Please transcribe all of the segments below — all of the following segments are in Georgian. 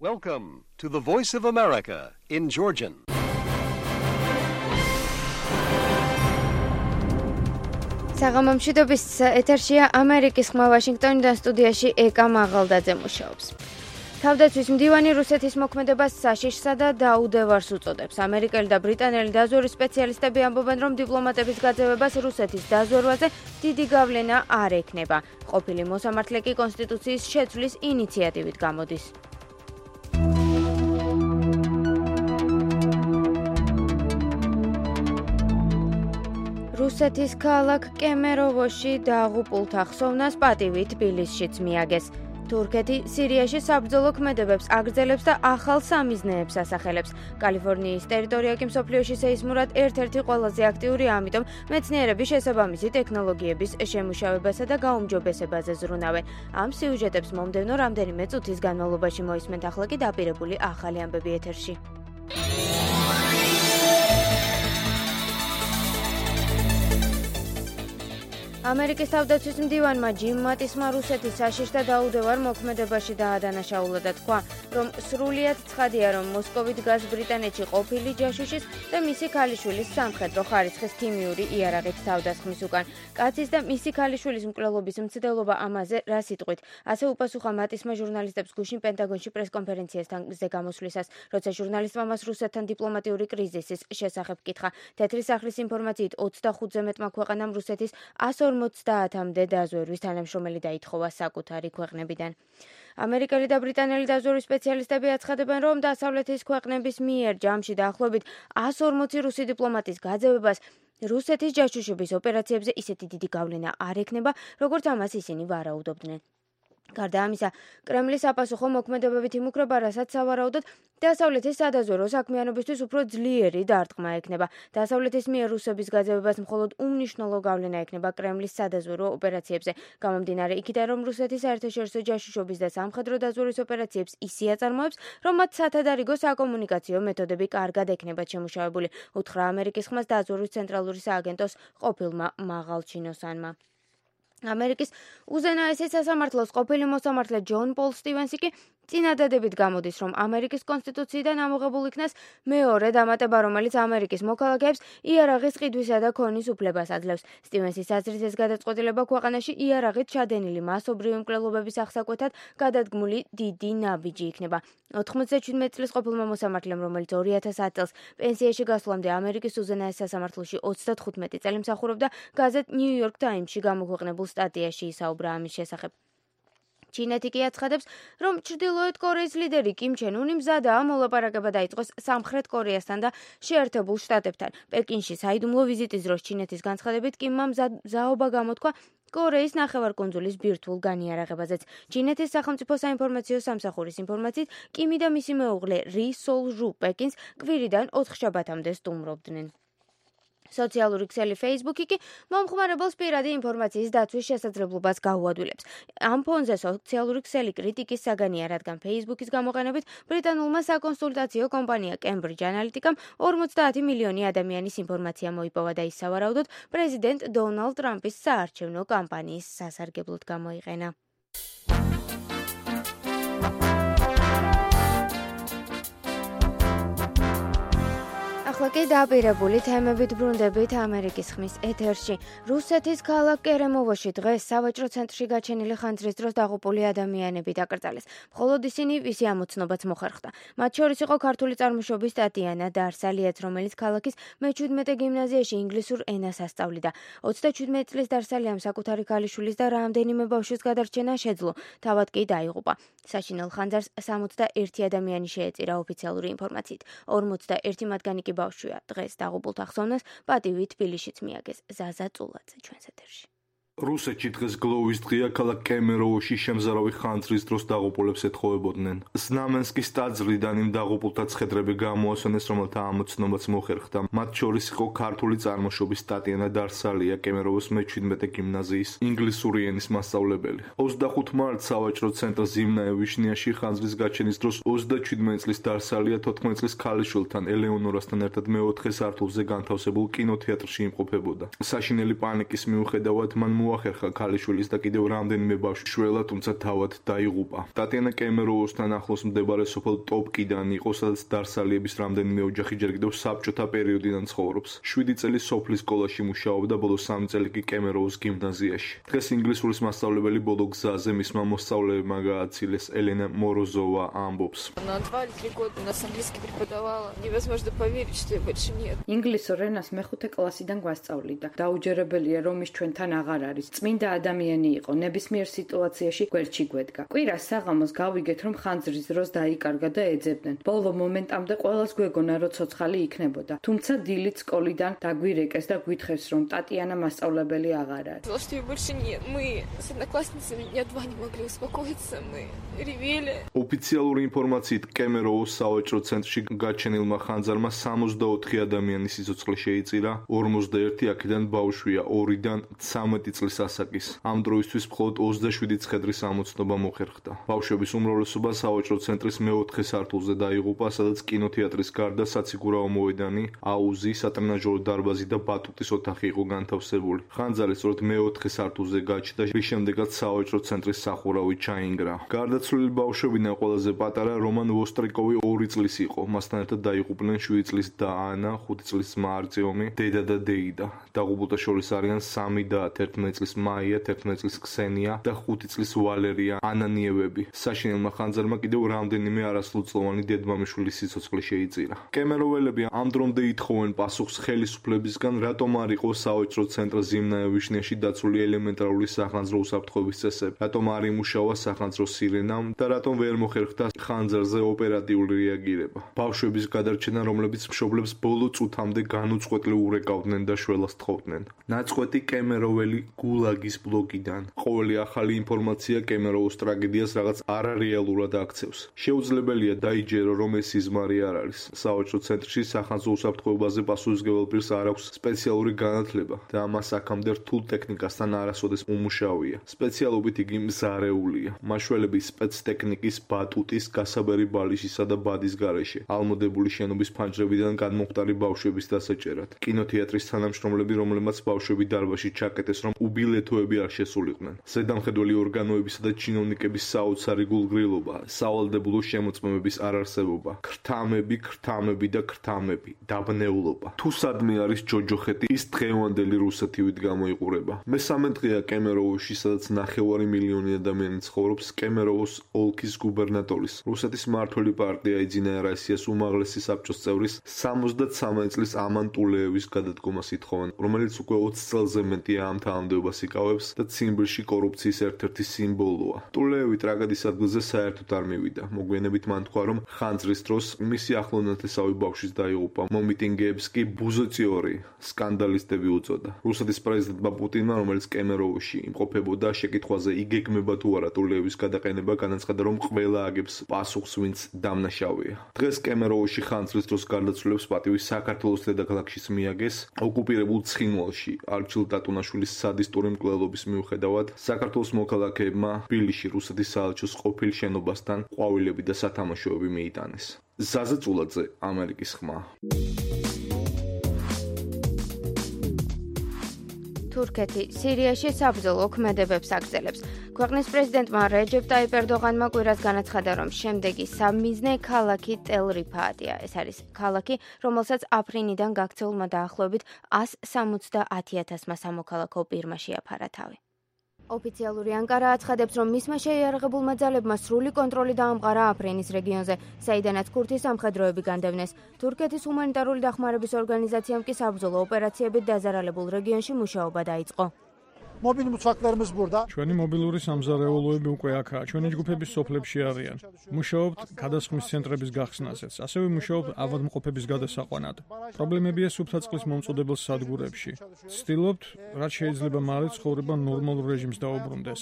Welcome to the Voice of America in Georgian. საღამომშვიდობის ეთერშია ამერიკის ხმა ვაშინგტონიდან სტუდიაში ეკა მაღალდაძე მუშაობს. თავდაცვის მდივანი რუსეთის მოქმედებას საშიშსა და დაუდევარს უწოდებს. ამერიკელი და ბრიტანელი დაზვერვის სპეციალისტები ამბობენ, რომ დიპლომატების გაძევებას რუსეთის დაზვერვაზე დიდი გავლენა არ ექნება. ყოფილი მოსამართლე კი კონსტიტუციის შეცვლის ინიციატივით გამოდის. რუსეთის ქალაქ კემეროვოში დაღუპულთა ხსოვნას პატივი თბილისშიც მიაგეს. თურქეთი სირიაში საბრძოლო ქმედებებს აგრძელებს და ახალ სამიზნეებს ასახელებს. კალიფორნიის ტერიტორია კი მსოფლიოში სეისმურად ერთ-ერთი ყველაზე აქტიურია, ამიტომ მეცნიერები შესაბამისი ტექნოლოგიების შემუშავებასა და გაუმჯობესებაზე ზრუნავენ. ამ სიუჟეტებს მომდევნო რამდენიმე წუთის განმავლობაში მოისმენთ, ახლა კი დაპირებული ახალი ამბები ეთერში. ამერიკის თავდაცვის მდივანმა ჯიმ მატისმა რუსეთის საშიშ და დაუდევარ მოქმედებაში დაადანაშაულა და თქვა, რომ სრულიად ცხადია, რომ მოსკოვი დგას ბრიტანეთში ყოფილი ჯაშუშის და მისი ქალიშვილის სამხედრო ხარისხის ქიმიური იარაღით თავდასხმის უკან. კაცის და მისი ქალიშვილის მკვლელობის მცდელობა ამაზე რა სიტყვით? ასე უპასუხა მატისმა ჟურნალისტებს გუშინ პენტაგონში პრესკონფერენციაზე გამოსვლისას, როცა ჟურნალისტმა მას რუსეთთან დიპლომატიური კრიზისის შესახებ კითხა. თეთრი სახლის ინფორმაციით 25-ზე მეტმა ქვეყანამ რუსეთის 150-მდე დაზვერვის თანამშრომელი დაითხოვა საკუთარი ქვეყნებიდან. ამერიკელი და ბრიტანელი დაზვერვის სპეციალისტები აცხადებენ, რომ დასავლეთის ქვეყნების მიერ ჯამში დაახლოებით 140 რუსი დიპლომატის გაძევებას რუსეთის ჯაშუშობის ოპერაციებზე ისეთი დიდი გავლენა არ ექნება, როგორც ამას ისინი ვარაუდობდნენ. გარდა ამისა, კრემლის აპასუხო მოქმედებებით იმუქრება, რასაც სავარაუდოდ დასავლეთის სადაზვერვო საქმიანობისთვის უფრო ძლიერი დარტყმა ექნება. დასავლეთის მიერ რუსების გაძევებას მხოლოდ უმნიშვნელო გავლენა ექნება კრემლის სადაზვერვო ოპერაციებზე. გამომდინარე იქიდან, რომ რუსეთის საერთაშორისო ჯაშუშობის და სამხედრო დაზვერვის ოპერაციებს ისე აწარმოებს, რომ მათ სათადარიგო საკომუნიკაციო მეთოდები კარგად ექნებათ შემუშავებული, უთხრა ამერიკის ხმას დაზვერვის ცენტრალური სააგენტოს ყოფილმა მაღალჩინოსანმა. ამერიკის უზენაესი სასამართლოს ყოფილი მოსამართლე ჯონ პოლ სტივენსი კი წინადადებით გამოდის, რომ ამერიკის კონსტიტუციიდან ამოღებულ იქნას მეორე დამატება, რომელიც ამერიკის მოქალაქეებს იარაღის ყიდვისა და ქონის უფლებას აძლევს. სტივენსის აზრით, ეს გადაწყვეტილება ქვეყანაში იარაღით ჩადენილი მასობრივი მკვლელობების აღსაკვეთად გადადგმული დიდი ნაბიჯი იქნება. 97 წლის ყოფილმა მოსამართლემ, რომელიც 2010 წელს პენსიაში გასვლამდე ამერიკის უზენაეს სასამართლოში 35 წელი მსახურობდა, გაზეთ New York Times-ში გამოქვეყნებულ სტატიაში ისაუბრა ამის შესახებ. ჩინეთი კი აცხადებს, რომ ჩრდილოეთ კორეის ლიდერი კიმ ჩენ უნი მზადაა მოლაპარაკება დაიწყოს სამხრეთ კორეასთან და შეერთებულ შტატებთან. პეკინში საიდუმლო ვიზიტის დროს ჩინეთის განცხადებით კიმმა მზაობა გამოთქვა კორეის ნახევარკუნძულის ბირთვულ განიარაღებაზეც. ჩინეთის სახელმწიფო საინფორმაციო სამსახურის ინფორმაციით, კიმი და მისი მეუღლე რი სოლ ჟუ პეკინს კვირიდან 4 შაბათამდე სტუმრობდნენ. სოციალური ქსელი Facebook-ი კი მომხმარებელს პირადი ინფორმაციის დაცვის შესაძლებლობას გაუადვილებს. ამ ფონზე სოციალური ქსელი კრიტიკის საგანია, რადგან Facebook-ის გამოყენებით ბრიტანულმა საკონსულტაციო კომპანია Cambridge Analytica-მ 50 მილიონი ადამიანის ინფორმაცია მოიპოვა და ის სავარაუდოდ პრეზიდენტ დონალდ ტრამპის საარჩევნო კამპანიის სასარგებლოდ გამოიყენა. ახლა კი დაპირებული თემებით ბრუნდებით ამერიკის ხმის ეთერში. რუსეთის ქალაქ კერემოვოში დღეს სავაჭრო ცენტრში გაჩენილი ხანძრის დროს დაღუპული ადამიანები დაკრძალეს. მხოლოდ ისინი, ვისი ამოცნობაც მოხერხდა. მათ შორის იყო ქართული წარმოშობის ტატიანა დარსალიაც, რომელიც ქალაქის მე-17 გიმნაზიაში ინგლისურ ენას ასწავლიდა. 37 წლის დარსალიამ საკუთარი ქალიშვილის და რამდენიმე ბავშვის გადარჩენა შეძლო, თავად კი დაიღუპა. საშინელ ხანძარს 61 ადამიანი შეეწირა ოფიციალური ინფორმაციით. 41 მათგანი კი ბავშვია. დღეს დაღუპულთა ხსოვნას პატივი თბილისშიც მიაგეს. ზაზა წულაძე ჩვენს ეთერში. რუსეთში დღეს გლოვის დღეა, ქალაქ კემეროვოში შემზარავი ხანძრის დროს დაღუპულებს ეთხოვებოდნენ. ზნამენსკის ტაძრიდან იმ დაღუპულთა ცხედრები გამოასვენეს, რომელთა ამოცნობაც მოხერხდა. მათ შორის იყო ქართული წარმოშობის ტატიანა დარსალია, კემეროვოს მე-17 გიმნაზიის ინგლისური ენის მასწავლებელი. 25 მარტს სავაჭრო ცენტრ ზიმნაე ვიშნიაში ხანძრის გაჩენის დროს 37 წლის დარსალია 14 წლის ქალიშვილთან ელეონორასთან ერთად მე-4 სართულზე განთავსებულ კინოთეატრში იმყოფებოდა. საშინელი პანიკის მიუხედავად მან მოახერხა ქალიშვილის და კიდევ რამდენიმე ბავშვი შველა, თუმცა თავად დაიღუპა. ტატიანა კემეროუსთან ახლოს მდებარე სოფელ ტოპკიდან იყო, სადაც დარსალიების რამდენიმე ოჯახი ჯერ კიდევ საბჭოთა პერიოდიდან ცხოვრობს. 7 წელი სოფლის სკოლაში მუშაობდა, ბოლო 3 წელი კი კემეროუს გიმნაზიაში. დღეს ინგლისურის მასწავლებელი ბოლო გზაზე მისმა მოსწავლეებმა გააცილეს. ელენა მოროზოვა ამბობს. На 2-3 года у нас английский преподавала. Невозможно поверить, что я больше нет. ინგლისურ ენას მეხუთე კლასიდან გვასწავლიდა. დაუჯერებელია, რომ ის ჩვენთან აღარ არის. წმინდა ადამიანი იყო, ნებისმიერ სიტუაციაში გვერდში გვედგა. კვირას საღამოს გავიგეთ, რომ ხანძრის დროს დაიკარგა და ეძებდნენ. ბოლო მომენტამდე ყველას გვეგონა, რომ ცოცხალი იქნებოდა. თუმცა დილით სკოლიდან დაგვირეკეს და გვითხრეს, რომ ტატიანა მასწავლებელი აღარ არის. Сказала, что ее больше нет. Мы с одноклассницами дня 2 не могли успокоиться. Мы ревели. ოფიციალური ინფორმაციით კემეროუს სავაჭრო ცენტრში გაჩენილმა ხანძარმა 64 ადამიანის სიცოცხლე შეიწირა, 51 აქედან ბავშვია, 2-დან 13 წლის ასაკის. ამ დროისთვის მხოლოდ 27 ცხედრის ამოცნობა მოხერხდა. ბავშვების უმრავლესობა სავაჭრო ცენტრის მეოთხე სართულზე დაიღუპა, სადაც კინოთეატრის გარდა საციგურაო მოედანი, აუზი, სატრენაჟორო დარბაზი და ბატუტის ოთახი იყო განთავსებული. ხანძარი სწორედ მეოთხე სართულზე გაჩნდა, რის შემდეგაც სავაჭრო ცენტრის სახურავი ჩაინგრა. გარდაცვლილი ბავშვებიდან ყველაზე პატარა რომან ვოსტრიკოვი 2 წლის იყო. მასთან ერთად დაიღუპნენ 7 წლის და ანა, 5 წლის ძმა არტიომი, დედა და დეიდა. დაღუპულთა შორის არიან 3 და 11 წლის მაია, 11 წლის ქსენია და 5 წლის ვალერია ანანიევები. საშინელმა ხანძარმა კიდევ რამდენიმე არასრულწლოვანი დედმამიშვილის სიცოცხლე შეიწირა. კემეროველები ამ დრომდე ითხოვენ პასუხს ხელისუფლებისგან, რატომ არ იყო სავაჭრო ცენტრ ზიმნაევიშნიაში დაცული ელემენტარული სახანძრო უსაფრთხოების წესები, რატომ არ იმუშავა სახანძრო სირენამ და რატომ ვერ მოხერხდა ხანძარზე ოპერატიული რეაგირება. ბავშვების გადარჩენა, რომლებიც მშობლებს ბოლო წუთამდე განუწყვეტლი ურეკავდნენ და შველას თხოვდნენ. ნაწყვეტი კემეროველი გულაგის ბლოგიდან. ყოველი ახალი ინფორმაცია კემეროუს ტრაგედიას რაღაც არარეალურად აქცევს. შეუძლებელია დაიჯერო, რომ ეს სიზმარი არ არის. სავაჭრო ცენტრში სახანძრო უსაფრთხოებაზე პასუხისმგებელ პირს არ აქვს სპეციალური განათლება და ამას აქამდე რთულ ტექნიკასთან არასოდეს უმუშავია. სპეციალობით იგი მზარეულია. მაშველები სპეცტექნიკის, ბატუტის, გასაბერი ბალიშისა და ბადის გარეშე. ალმოდებული შენობის ფანჯრებიდან განმოხტარი ბავშვების დასაჭერად. კინოთეატრის თანამშრომლები, რომლებმაც ბავშვები დარბაზში ჩაკეტეს, რომ უბილეთოები არ შესულიყვნენ. ზედამხედველი ორგანოებისა და ჩინოვნიკების საოცარი გულგრილობა, სავალდებულო შემოწმებების არარსებობა, ქრთამები და ქრთამები, დაბნეულობა. თუ სადმე არის ჯოჯოხეთი, ის დღევანდელი რუსეთივით გამოიყურება. მესამე დღეა კემეროუსში, სადაც 9 მილიონი ადამიანი ცხოვრობს, კემეროუს ოლქის გუბერნატორის, რუსეთის მმართველი პარტია იძინაერესიას უმაღლესი საბჭოს წევრის 73 წლის ამან ტულეევის გადადგომას ითხოვენ, რომელიც უკვე 20 წელზე მეტია ამ თანამდებობას იკავებს და ციმბირში კორუფციის ერთ-ერთი სიმბოლოა. ტულეევი ტრაგედიის ადგილზე საერთოდ არ მივიდა. მოგვიანებით მან თქვა, რომ ხანძრის დროს მისი ახლონათესავი ბავშვის დაიღუპა. მომიტინგეებს კი ბუზოციორი, სკანდალისტები უწოდა. რუსეთის პრეზიდენტმა პუტინმა, რომელიც კემეროუსში იმყოფებოდა, შეკითხვაზე იგეგმება თუ არა ტულეევის გადაყენება, განაცხადა, რომ ყველა აგებს პასუხს, ვინც დამნაშავეა. დღეს კემეროუსში ხანძრის დროს გარდაცვლილებს პატივი საქართველოს დედაქალაქშიც მიაგეს. ოკუპირებულ ცხინვალში არჩილ ტატუნაშვილის სადისტური მკვლელობის მიუხედავად, საქართველოს მოქალაქეებმა თბილისში რუსეთის საელჩოს ყოფილ შენობასთან ყვავილები და სათამაშოები მიიტანეს. ზაზა წულაძე, ამერიკის ხმა. თურქეთი სირიაში საბრძოლო ქმედებებს აგრძელებს. ქვეყნის პრეზიდენტმა რეჯეპ ტაიპ ერდოღანმა კვირას განაცხადა, რომ შემდეგი სამიზნე ქალაქი ტელ-რიფაატია. ეს არის ქალაქი, რომელსაც აფრინიდან გაქცეულმა დაახლოებით 170,000-მა სამოქალაქო პირმა შეაფარა თავი. ოფიციალური ანკარა აცხადებს, რომ მისმა შეიარაღებულმა ძალებმა სრული კონტროლი დაამყარა აფრინის რეგიონზე, საიდანაც ქურთის სამხედროები განდევნეს. თურქეთის ჰუმანიტარული დახმარების ორგანიზაციამ კი საბრძოლო ოპერაციებით დაზარალებულ რეგიონში მუშაობა დაიწყო. Mobil mutfaklarımız burada. ჩვენი მობილური სამზარეულოები უკვე აქაა. ჩვენი ჯგუფების სოფლებში არიან. მუშაობთ გადასხმის ცენტრების გახსნაზეც. ასევე მუშაობთ ავადმყოფების გადასაყვანად. პრობლემებია სუფთა წყლის მომწოდებელ სადგურებში. ვცდილობთ, რაც შეიძლება მალე ცხოვრება ნორმალურ რეჟიმს დაუბრუნდეს.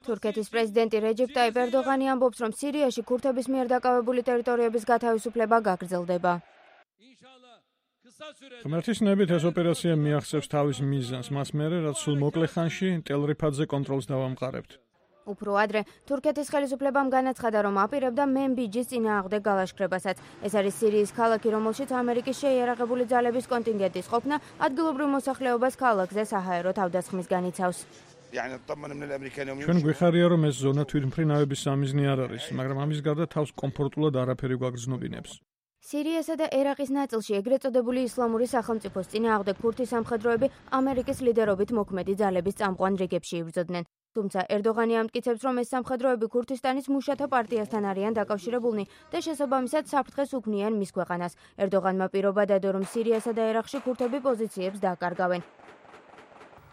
თურქეთის პრეზიდენტი რეჯეპ ტაიპ ერდოღანი ამბობს, რომ სირიაში ქურთების მიერ დაკავებული ტერიტორიების გათავისუფლება გაგრძელდება. ღმერთის ნებით ეს ოპერაცია მიაღწევს თავის მიზანს, მას მერე, რაც სულ მოკლე ხანში ტელ-რიფატზე კონტროლს დავამყარებთ. უფრო ადრე თურქეთის ხელისუფლებამ განაცხადა, რომ აპირებდა მენბიჯის წინააღმდეგ გალაშქრებასაც. ეს არის სირიის ქალაქი, რომელშიც ამერიკის შეიარაღებული ძალების კონტინგენტის ყოფნა ადგილობრივ მოსახლეობას ქალაქზე საჰაერო თავდასხმის განიცავს. ჩვენ გვიხარია, რომ ეს ზონა თვითმფრინავების სამიზნე არ არის, მაგრამ ამის გარდა თავს კომფორტულად არაფერი გვაგრძნობინებს. სირიასა და ერაყის ნაწილში ეგრეთ წოდებული ისლამური სახელმწიფოს წინააღმდეგ ქურთი სამხედროები ამერიკის ლიდერობით მოქმედი ძალების წამყვან რიგებში იბრძოდნენ. თუმცა ერდოღანი ამტკიცებს, რომ ეს სამხედროები ქურთისტანის მუშათა პარტიასთან არიან დაკავშირებულნი და შესაბამისად საფრთხეს უქმნიან მის ქვეყანას. ერდოღანმა პირობა დადო, რომ სირიასა და ერაყში ქურთები პოზიციებს დაკარგავენ.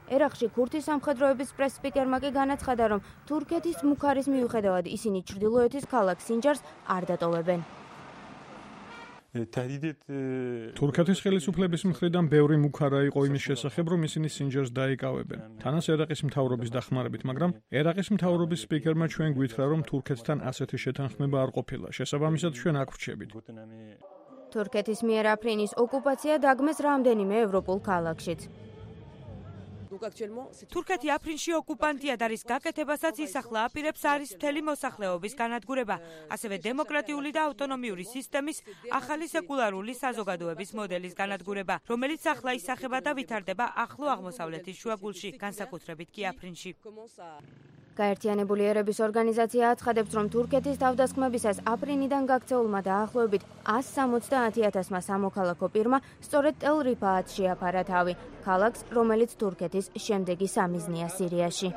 ერაყში ქურთის სამხედროების პრეს-სპიკერმა კი განაცხადა, რომ თურქეთის მუქარის მიუხედავად ისინი ჩრდილოეთის ქალაქ სინჯარს არ დატოვებენ. თურქეთის ხელისუფლების მხრიდან ბევრი მუქარა იყო იმის შესახებ, რომ ისინი სინჯარს დაიკავებენ. თანაც ერაყის მთავრობის დახმარებით, მაგრამ ერაყის მთავრობის სპიკერმა ჩვენ გვითხრა, რომ თურქეთთან ასეთი შეთანხმება არ ყოფილა. შესაბამისად, ჩვენ აქ ვრჩებით. თურქეთის მიერ აფრინის ოკუპაცია დაგმეს რამდენიმე ევროპულ ქალაქშიც. თურქეთი აფრინში ოკუპანტია და რის გაკეთებასაც ისახლა აპირებს არის მთელი მოსახლეობის განადგურება, ასევე დემოკრატიული და ავტონომიური სისტემის ახალი სეკულარული საზოგადოების მოდელის განადგურება, რომელიც ახლა ისახება და ვითარდება ახლო აღმოსავლეთის შუაგულში, განსაკუთრებით კი აფრინში. გაერთიანებული ერების ორგანიზაცია აცხადებს, რომ თურქეთის თავდასხმებისას აფრინიდან გაქცეულმა დაახლოებით 170,000-მა სამოქალაქო პირმა სწორედ ტელ-რიფაატ შეაფარა თავი, ქალაქს, რომელიც თურქეთის შემდეგი სამიზნეა სირიაში.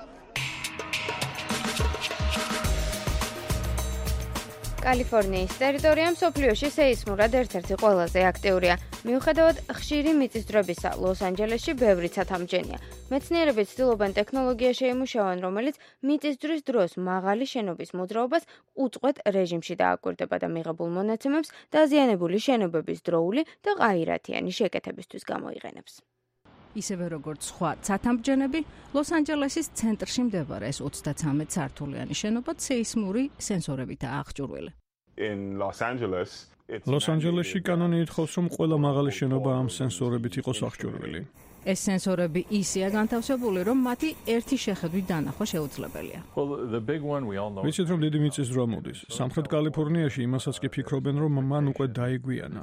კალიფორნიის ტერიტორია მსოფლიოში სეისმურად ერთ-ერთი ყველაზე აქტიურია. მიუხედავად ხშირი მიწისძვრებისა, ლოს-ანჯელესში ბევრი ცათამბჯენია. მეცნიერები ცდილობენ ტექნოლოგია შეიმუშავონ, რომელიც მიწისძვრის დროს მაღალი შენობის მოძრაობას უწყვეტ რეჟიმში დააკვირდება და მიღებულ მონაცემებს დაზიანებული შენობების დროული და ყაირათიანი შეკეთებისთვის გამოიყენებს. ისევე როგორც სხვა ცათამბჯენები, ლოს-ანჯელესის ცენტრში მდებარე ეს 33 სართულიანი შენობა სეისმური სენსორებითაა აღჭურვილი. ლოს-ანჯელესში კანონი ითხოვს, რომ ყველა მაღალი შენობა ამ სენსორებით იყოს აღჭურვილი. ეს სენსორები ისეა განთავსებული, რომ მათი ერთი შეხედვით დანახვა შეუძლებელია. ვიცით, რომ დიდი მიწისძვრა მოდის. სამხრეთ კალიფორნიაში იმასაც კი ფიქრობენ, რომ მან უკვე დაიგვიანა.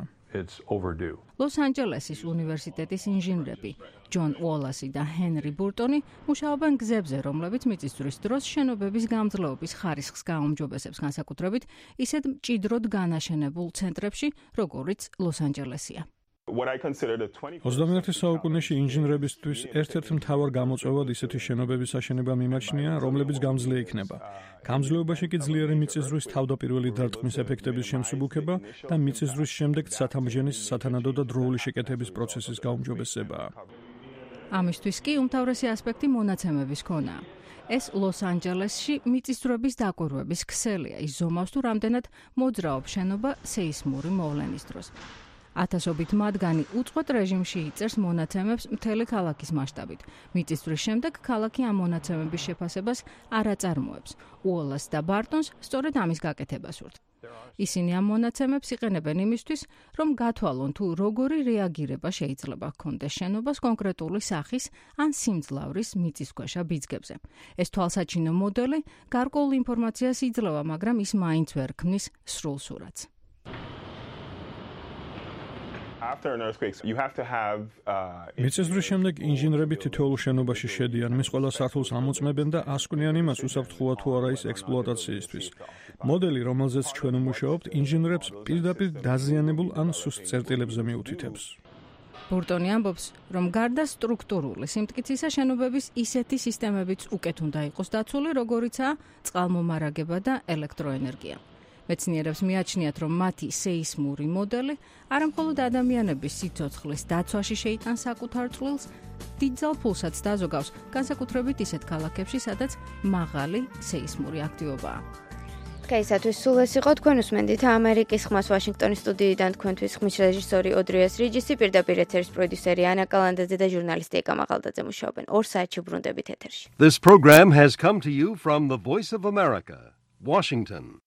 ლოს-ანჯელესის უნივერსიტეტის ინჟინრები ჯონ უოლასი და ჰენრი ბურტონი მუშაობენ გზებზე, რომლებიც მიწისძვრის დროს შენობების გამძლეობის ხარისხს გააუმჯობესებს, განსაკუთრებით ისეთ მჭიდროდ განაშენებულ ცენტრებში, როგორიც ლოს-ანჯელესია. 21 საუკუნეში ინჟინრებისთვის ერთ-ერთ მთავარ გამოწვევად ისეთი შენობების აშენება მიმაჩნია, რომლებიც გამძლე იქნება. გამძლეობაში კი ძლიერი მიწისძვრის თავდაპირველი დარტყმის ეფექტების შემსუბუქება და მიწისძვრის შემდეგ ცათამბჯენის სათანადო და დროული შეკეთების პროცესის გაუმჯობესებაა. ამისთვის კი უმთავრესი ასპექტი მონაცემების ქონაა. ეს ლოს-ანჯელესში მიწისძვრების დაკვირვების ქსელია, ის ზომავს თუ რამდენად მოძრაობს შენობა სეისმური მოვლენის დროს. ათასობით მათგანი უწყვეტ რეჟიმში იწერს მონაცემებს მთელი ქალაქის მასშტაბით. მიწისძვრის შემდეგ ქალაქი ამ მონაცემების შეფასებას არ აწარმოებს. უოლას და ბარტონს სწორედ ამის გაკეთება სურთ. ისინი ამ მონაცემებს იყენებენ იმისთვის, რომ გათვალონ თუ როგორი რეაგირება შეიძლება ჰქონდეს შენობას კონკრეტული სახის ან სიმძლავრის მიწისქვეშა ბიძგებზე. ეს თვალსაჩინო მოდელი გარკვეულ ინფორმაციას იძლევა, მაგრამ ის მაინც ვერ ქმნის სრულ სურათს. მიწისძვრის შემდეგ ინჟინრები თითოეულ შენობაში შედიან, მის ყველა სართულს ამოწმებენ და ასკვნიან იმას, უსაფრთხოა თუ არა ის ექსპლუატაციისთვის. მოდელი, რომელზეც ჩვენ ვმუშაობთ, ინჟინრებს პირდაპირ დაზიანებულ ან სუსტ წერტილებზე მიუთითებს. ბურტონი ამბობს, რომ გარდა სტრუქტურული სიმტკიცისა შენობების ისეთი სისტემებიც უკეთ უნდა იყოს დაცული, როგორიცაა წყალმომარაგება და ელექტროენერგია. მეცნიერებს მიაჩნიათ, რომ მათი სეისმური მოდელი არამხოლოდ ადამიანების სიცოცხლის დაცვაში შეიტანს საკუთარ წვლილს, დიდძალ ფულსაც დაზოგავს, განსაკუთრებით ისეთ ქალაქებში, სადაც მაღალი სეისმური აქტივობაა. დღეისათვის სულ ეს იყო, თქვენ უსმენდით ამერიკის ხმას ვაშინგტონის სტუდიიდან, თქვენთვის ხმის რეჟისორი ოდრიას რიჯისი, პირდაპირ ეთერის პროდიუსერი ანა კალანდაძე და ჟურნალისტი ეკა მაღალდაძე მუშაობენ. 2 საათში ბრუნდებით ეთერში. This program has come to you from the Voice of America, Washington.